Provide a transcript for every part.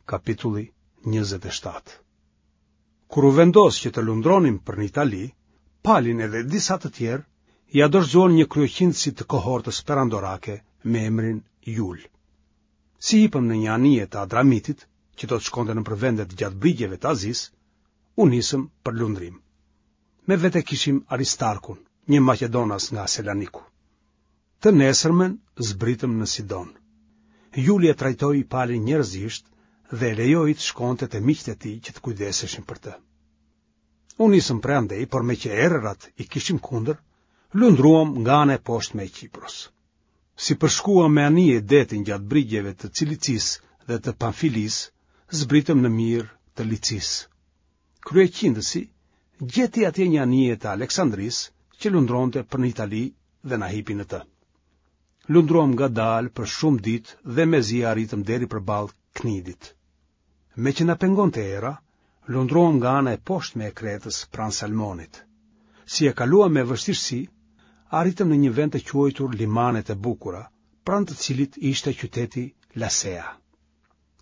Kapitulli 27 Kur u vendos që të lundronim për në Itali, Palin edhe disa të tjerë ia dorëzuan një kryeqindësi të kohortës perandorake me emrin Jul. Si hipëm në një anije të Adramitit, që do të shkonte nëpër vendet gjatë brigjeve të Azisë, u nisëm për lundrim. Me vete kishim Aristarkun, një maqedonas nga Selaniku. Të nesërmen zbritëm në Sidon. Juli e trajtoi Palin njerëzisht dhe e lejoi të shkonte te miqtë e tij që të kujdeseshin për të. U nisëm prej andej, por meqë erërat i kishim kundër, lundruam nga ana e poshtme e Qipros. Si përshkuam me anije detin gjatë brigjeve të Cilicisë dhe të Pamfilisë, zbritëm në Mirë të Licisë. Kryeqindësi gjeti atje një anije të Aleksandrisë që lundronte për në Itali dhe na hipi në të. Lundruam ngadalë për shumë ditë dhe mezi arritëm deri përballë Knidit. Meqë na pengonte era, lundruam nga ana e poshtme e Kretës pranë Salmonit. Si e kaluam me vështirësi, arritëm në një vend të quajtur Limanet e Bukura, pranë të cilit ishte qyteti Lasea.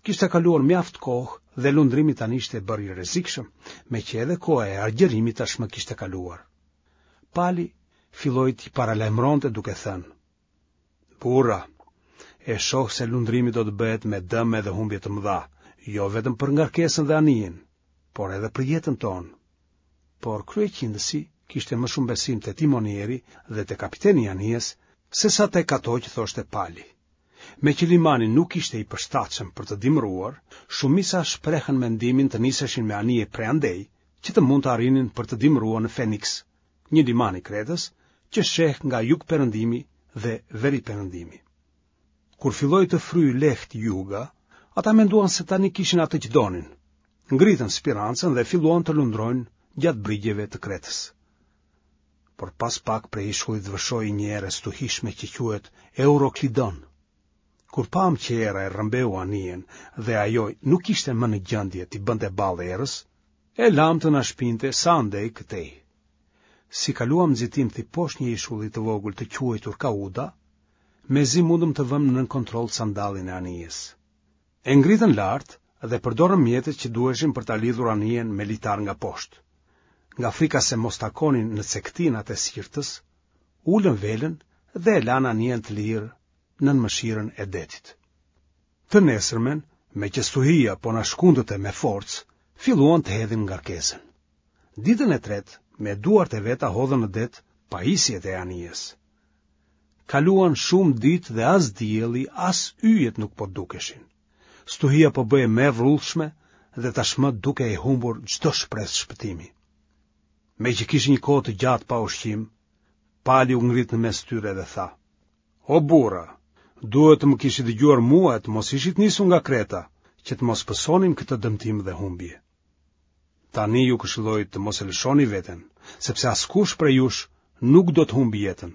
Kishte kaluar mjaft kohë dhe lundrimi tani ishte bërë i rrezikshëm, meqë edhe koha e agjërimit tashmë kishte kaluar. Pali filloi t'i paralajmëronte duke thënë: Burra, e shoh se lundrimi do të bëhet me dëme dhe humbje të mëdha, jo vetëm për ngarkesën dhe anijen, por edhe për jetën tonë. Por kryeqindësi kishte më shumë besim te timonieri dhe te kapiteni i anijes, sesa tek ato që thoshte Pali. Meqë limani nuk ishte i përshtatshëm për të dimëruar, shumica shprehën mendimin të niseshin me anije prej andej, që të mund të arrinin për të dimëruar në Feniks, një liman i Kretës, që sheh nga jugperëndimi dhe veriperëndimi. Kur filloi të fryjë lehtë juga, ata menduan se tani kishin atë që donin. Ngritën spirancën dhe filluan të lundrojnë gjatë brigjeve të Kretës. Por pas pak prej ishullit vërshoi një erë e stuhishme që quhet Euroklidon. Kur pamë që era e rrëmbeu anijen dhe ajo nuk ishte më në gjendje t'i bënte ballë erës, e lamë të na shpinte sa andej këtej. Si kaluam nxitimthi poshtë një ishulli të vogël të quajtur Kauda, mezi mundëm të vëmë nën kontroll sandallin e anijes. E ngritën lart dhe përdorën mjetet që duheshin për ta lidhur anijen me litar nga poshtë. Nga frika se mos takonin në cekëtinat e Sirtës, ulën velën dhe e lanë anijen të lirë nën mëshirën e detit. Të nesërmen, meqë stuhia po na shkundte me forcë, filluan të hedhin ngarkesën. Ditën e tretë, me duart e veta hodhën në det pajisjet e anijes. Kaluan shumë ditë dhe as dielli, as yjet nuk po dukeshin. Stuhia po bëhej më e vrullshme dhe tashmë dukej e humbur çdo shpresë shpëtimi. Meqë kishin një kohë të gjatë pa ushqim, Pali u ngrit në mes tyre dhe tha: O burra, duhet të më kishit dëgjuar mua e të mos ishit nisur nga Kreta, që të mos pësonim këtë dëmtim dhe humbje. Tani ju këshilloj të mos e lëshoni veten, sepse askush prej jush nuk do të humbë jetën,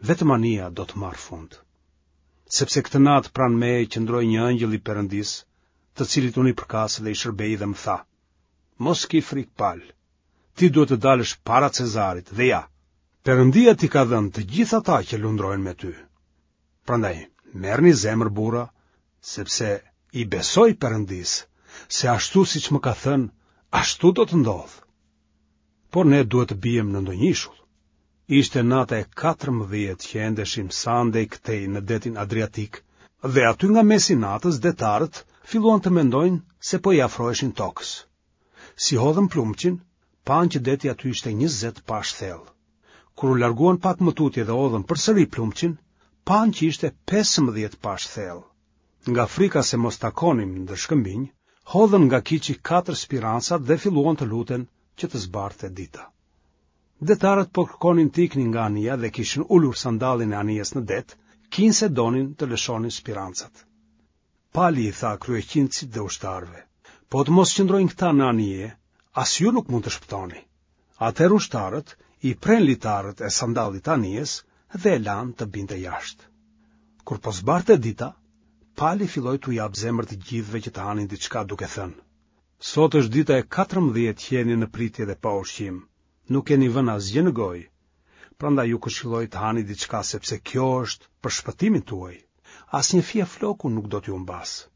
vetëm anija do të marrë fund. Sepse këtë natë pranë meje qëndroi një ëngjëll i Perëndisë, të cilit unë i përkas dhe i shërbej dhe më tha: Mos ki frikë Pal, ti duhet të dalësh para Cezarit dhe ja, Perëndia t'i ka dhënë të gjithë ata që lundrojnë me ty. Prandaj, merrni zemër burra, sepse i besoj Perëndisë, se ashtu siç më ka thënë, ashtu do të ndodhë. Por ne duhet të biem në ndonjë ishull. Ishte nata e 14 që endeshim sa andej këtej në detin Adriatik, dhe aty nga mesi i natës detarët filluan të mendojnë se po i afroheshin tokës. Si hodhën plumçin, panë që deti aty ishte 20 pashë thellë. Kur u larguan pak më tutje dhe hodhën përsëri plumçin, panë që ishte 15 pashë thellë. Nga frika se mos takonim ndër shkëmbinj, hodhën nga kiçi katër spirancat dhe filluan të luten që të zbardhte dita. Detarët po kërkonin të iknin nga anija dhe kishin ulur sandallin e anijes në det, kinse donin të lëshonin spirancat. Pali i tha kryeqindësit dhe ushtarëve, po të mos qëndrojnë këta në anije, as ju nuk mund të shpëtoni. Atëherë ushtarët i prenë litarët e sandallit të anijes dhe e lanë të binte jashtë. Kur po zbardhte dita, Pali filloi t'u japë zemër të gjithëve që të hanin diçka duke thënë: Sot është dita e 14 që jeni në pritje dhe pa ushqim. Nuk keni vënë asgjë në gojë. Prandaj ju këshilloj të hani diçka sepse kjo është për shpëtimin tuaj. Asnjë fije floku nuk do t'ju humbasë.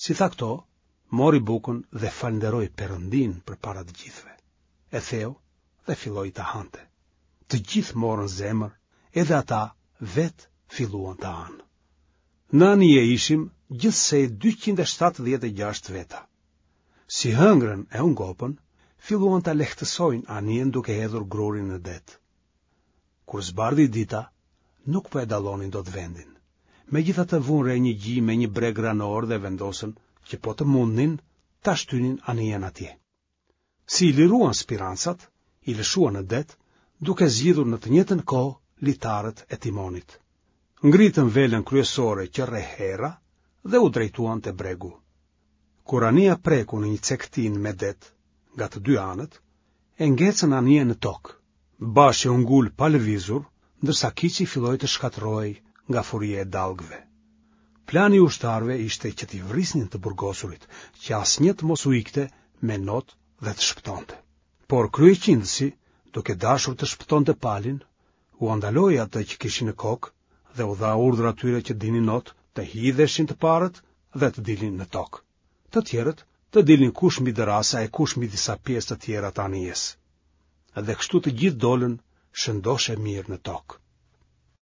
Si tha këto, Mori bukën dhe falënderoi Perëndinë përpara të gjithëve. E theu dhe filloi ta hante. Të gjithë morën zemër, edhe ata vetë filluan të hanë. Në anije ishim gjithsej 276 veta. Si hëngrën e u ngopën, filluan ta lehtësojnë anijen duke hedhur grurin në det. Kur zbardhi dita, nuk po e dallonin dot vendin. Megjithatë vunë re një gji me një breg ranor dhe vendosën që po të mundnin ta shtynin anijen atje. Si i liruan spirancat, i lëshuan në det, duke zgjidhur në të njëjtën kohë litarët e timonit. Ngritën velën kryesore që rreh era dhe u drejtuan te bregu. Kur anija preku në një cekëtinë me det, nga të dy anët, e ngecën anijen në tokë. Bashi u ngul pa lëvizur, ndërsa kiçi filloi të shkatërrohej nga furia e dallgëve. Plani i ushtarëve ishte që t'i vrisnin të burgosurit, që asnjë të mos u ikte me not dhe të shpëtonte. Por kryeqindësi, duke dashur të shpëtonte Palin, ua ndaloi atë që kishin në kokë dhe u dha urdhër atyre që dinin not të hidheshin të parët dhe të dilnin në tokë. Të tjerët të dilnin kush mbi dërrasa e kush mbi disa pjesë të tjera të anijes. Dhe kështu të gjithë dolën shëndoshë e mirë në tokë.